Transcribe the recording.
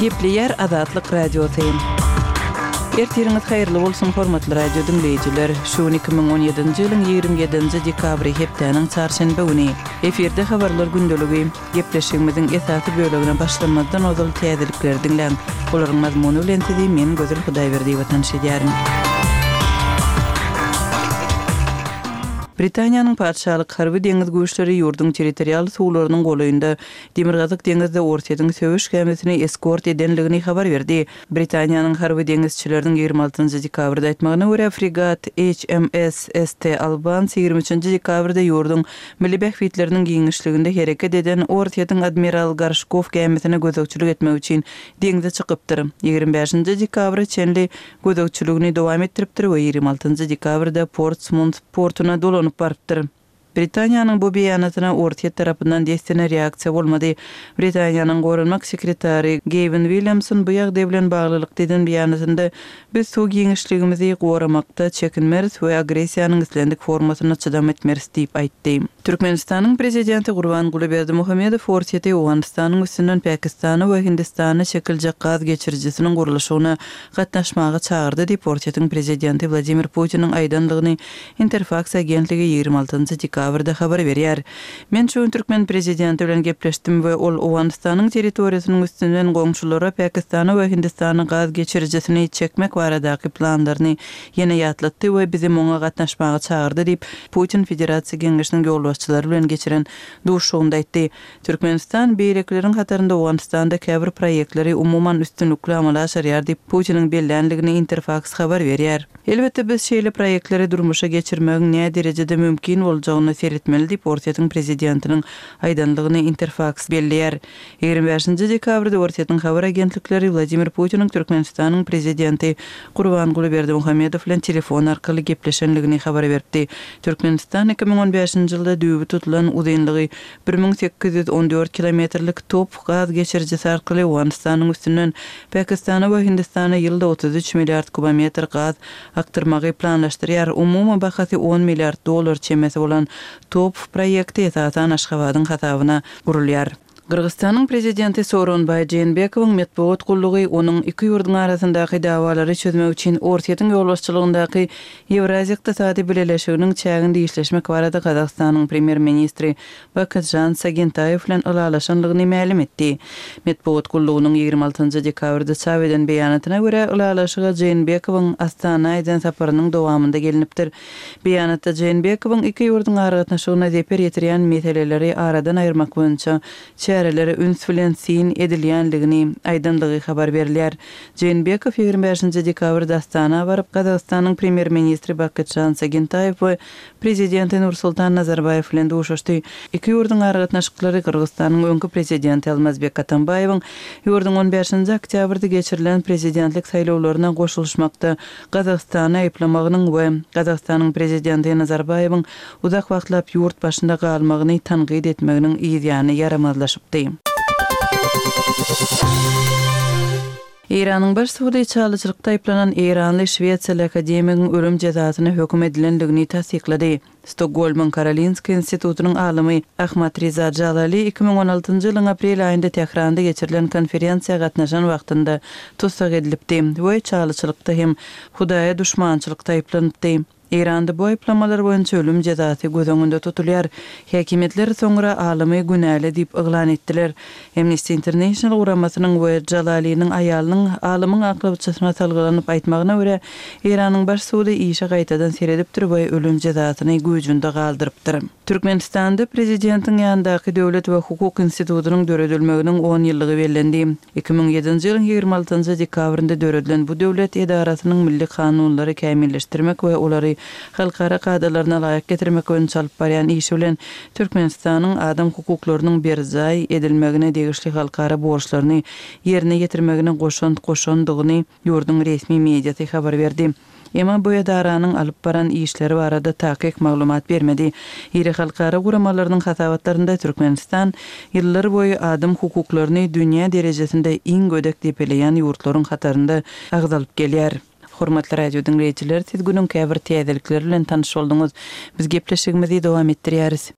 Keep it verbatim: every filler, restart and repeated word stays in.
Gepleýär Azatlyk Radiosy. Ertiriňiz haýyrly bolsun, hormatly radio diňleýjiler! Şu gün iki müň on ýedinji ýylyň ýigrimi ýedinji dekabry, hepdäniň çarşenbe güni. Efirde Habarlar gündeligi. Gepleşigimiziň esasy bölegine başlamazdan ozal täzelikleri diňläň. Olaryň mazmuny bilen sizi men Gözel Hudaýberdiýewa tanyş edýärin. Britaniýanyň Patyşalyk harby deňiz güýçleri ýurduň territorial suwlarynyň golaýynda Demirgazyk deňizde Orsýetiň söweş gämisini eskort edenligini habar berdi. Britaniýanyň harby deňizçileriniň ýigrimi altynjy dekabrda aýtmagyna görä, fregat HMS ST Albans ýigrimi üçünji dekabrda ýurduň milli bähbitleriniň giňişliginde hereket eden Orsýetiň Admiral Gorşkow gämisine gözegçilik etmek üçin deňze çykypdyr. Ýigrimi bäşinji dekabra çenli gözegçiligini dowam etdiripdir we ýigrimi altynjy dekabrda Portsmut portuna dolanyp barypdyr. Britaniýanyň bu beýanatyna Orsýet tarapyndan dessine reaksiýa bolmady. Britaniýanyň goranmak sekretary Gawin Williamson bu ýagdaý bilen baglylykda eden beýanatynda, Biz suw giňişligimizi goramakda çekinmeris we agressiýanyň islendik formasyna çydam etmeris diýip aýtdy. Türkmenistanyň Prezidenti Gurbanguly Berdimuhamedow Orsýeti Owganystanyň üstünden Pakistana we Hindistana çekiljek gaz geçirijisiniň gurluşygyna gatnaşmaga çagyrdy diýip, Orsýetiň Prezidenti Wladimir Putiniň aýdandygyny Interfaks agentligi ýigrimi altynjy dekabrda habar berýär. Men şu gün türkmen prezidenti bilen gepleşdim we ol Owganystanyň territoriýasynyň üstünden goňşulara Pakistana we Hindistana gaz geçirijisini çekmek baradaky planlaryny ýene ýatlatdy we bizi muňa gatnaşmaga çagyrdy diýip, Putin Federasiýa Geňeşiniň ýolbaşçylary bilen geçiren duşuşygynda aýtdy. Türkmenistan beýlekileriň hatarynda Owganystanda käbir proýektleri umuman üstünlikli amala aşyrýar diýip, Putiniň belländigini Interfaks habar berýär. Elbetde, biz şeýle proýektleri durmuşa geçirmegiň näderejede mümkin boljagyna seretmeli diýip, Orsýetiň prezidentiniň aýdanlygyny Interfaks belleýär. Ýigrimi bäşinji dekabrda Orsýetiň habar agentlikleri Wladimir Putiniň Türkmenistanyň prezidenti Gurbanguly Berdimuhamedow bilen telefon arkaly gepleşenligini habar beripdi. Türkmenistan iki müň on bäşinji ýylda düýbi tutulan uzynlygy bir müň sekiz ýüz on dört kilometrlik top gaz geçirijisi arkaly Owganystanyň üstünden Pakistana we Hindistana ýylda otuz üç milliard kubometr gaz akdyrmagy planlaşdyrýar. Umumy bahasy on milliard dollar çemesi bolan top proýekti esasan Aşgabadyň hasabyna gurulýar. Gyrgyzystanyň prezidenti Sooronbaý Jeenbekowyň metbugat gullugy onuň iki ýurduň arasyndaky dawalary çözmek üçin Orsýetiň ýolbaşçylygyndaky Ýewraziýa Ykdysady Bileleşiginiň çäginde işleşmek barada Gazagystanyň premýer-ministri Bakytžan Sagyntaýew bilen ylalaşanlygyny mälim etdi. Metbugat gullugynyň ýigrimi altynjy dekabrda çap eden beýanatyna görä, ylalaşyga Jeenbekowyň Astana eden saparynyň dowamynda gelnipdir. Beýanatda Jeenbekowyň iki ýurduň aragatnaşygyna zeper ýetirýän meseleleri aradan aýyrmak boýunça çärelere üns bilen syn edilýänligini aýdanlygy habar berilýär. Jeenbekow ýigrimi bäşinji dekabrda Astana baryp, Gazagystanyň premýer-ministri Bakytžan Sagyntaýew we prezidenti Nursultan Nazarbaýew bilen duşuşdy. Iki ýurduň aragatnaşyklary Gyrgyzystanyň öňki prezidenti Almazbek Atambaýewiň ýurduň on bäşinji oktýabrda geçirilen prezidentlik saýlawlaryna goşulyşmakda Gazagystany aýyplamagynyň we Gazagystanyň prezidenti Nazarbaýewiň uzak wagtlap ýurt başynda galmagyny tankyt etmeginiň yzýany ýaramazlaşypdy. Eýranyň baş sudy çalyçylykda aýyplanan eýranly şwesiýaly akademigiň ölüm jezasyna höküm edilendigini tassyklady. Stokgolmyň Karolinska institutynyň alymy Ahmad Riza Jalali iki müň on altynjy ýylyň aprel aýynda Tähranda geçirilen konferensiýa gatnaşan wagtynda tussag edilipdi we çalyçylykda hem Hudaýa duşmançylykda aýyplanypdy. Eýranda bu aýyplamalar boýunça ölüm jezasy göz öňünde tutulýar. Häkimiýetler soňra alymy günäli diýip yglan etdiler. Amnesty International guramasynyň we Jalaliniň aýalynyň alymyň aklawçysyna salgylanyp aýtmagyna görä, Eýranyň baş sudy işe gaýtadan seredipdir we ölüm jezasyny güýjünde galdyrypdyr. Türkmenistanda Prezidentiň ýanyndaky Döwlet we hukuk institutynyň döredilmeginiň on ýyllygy bellendi. Iki müň ýedinji ýylyň ýigrimi altynjy dekabrynda döredilen bu döwlet edarasynyň milli kanunlary kämilleşdirmek we olary halkara kadalaryna laýyk getirmek boýunça alyp barýan işi bilen Türkmenistanyň adam hukuklarynyň berjaý edilmegine degişli halkara borçlaryny ýerine ýetirmegine goşant goşandygyny ýurduň resmi mediasy habar berdi. Emma bu edaranyň alyp baran işleri barada takyk maglumat bermedi. Iri halkara guramalarynyň hasabatlarynda Türkmenistan ýyllar boýy adam hukuklaryny dünýä derejesinde iň gödek depeleýän ýurtlaryň hatarynda agzalyp gelýär. Hormatly radio diňleýjiler, siz günüň käbir täzelikleri bilen tanyş bolduňyz. Biz gepleşigimizi dowam etdirýäris.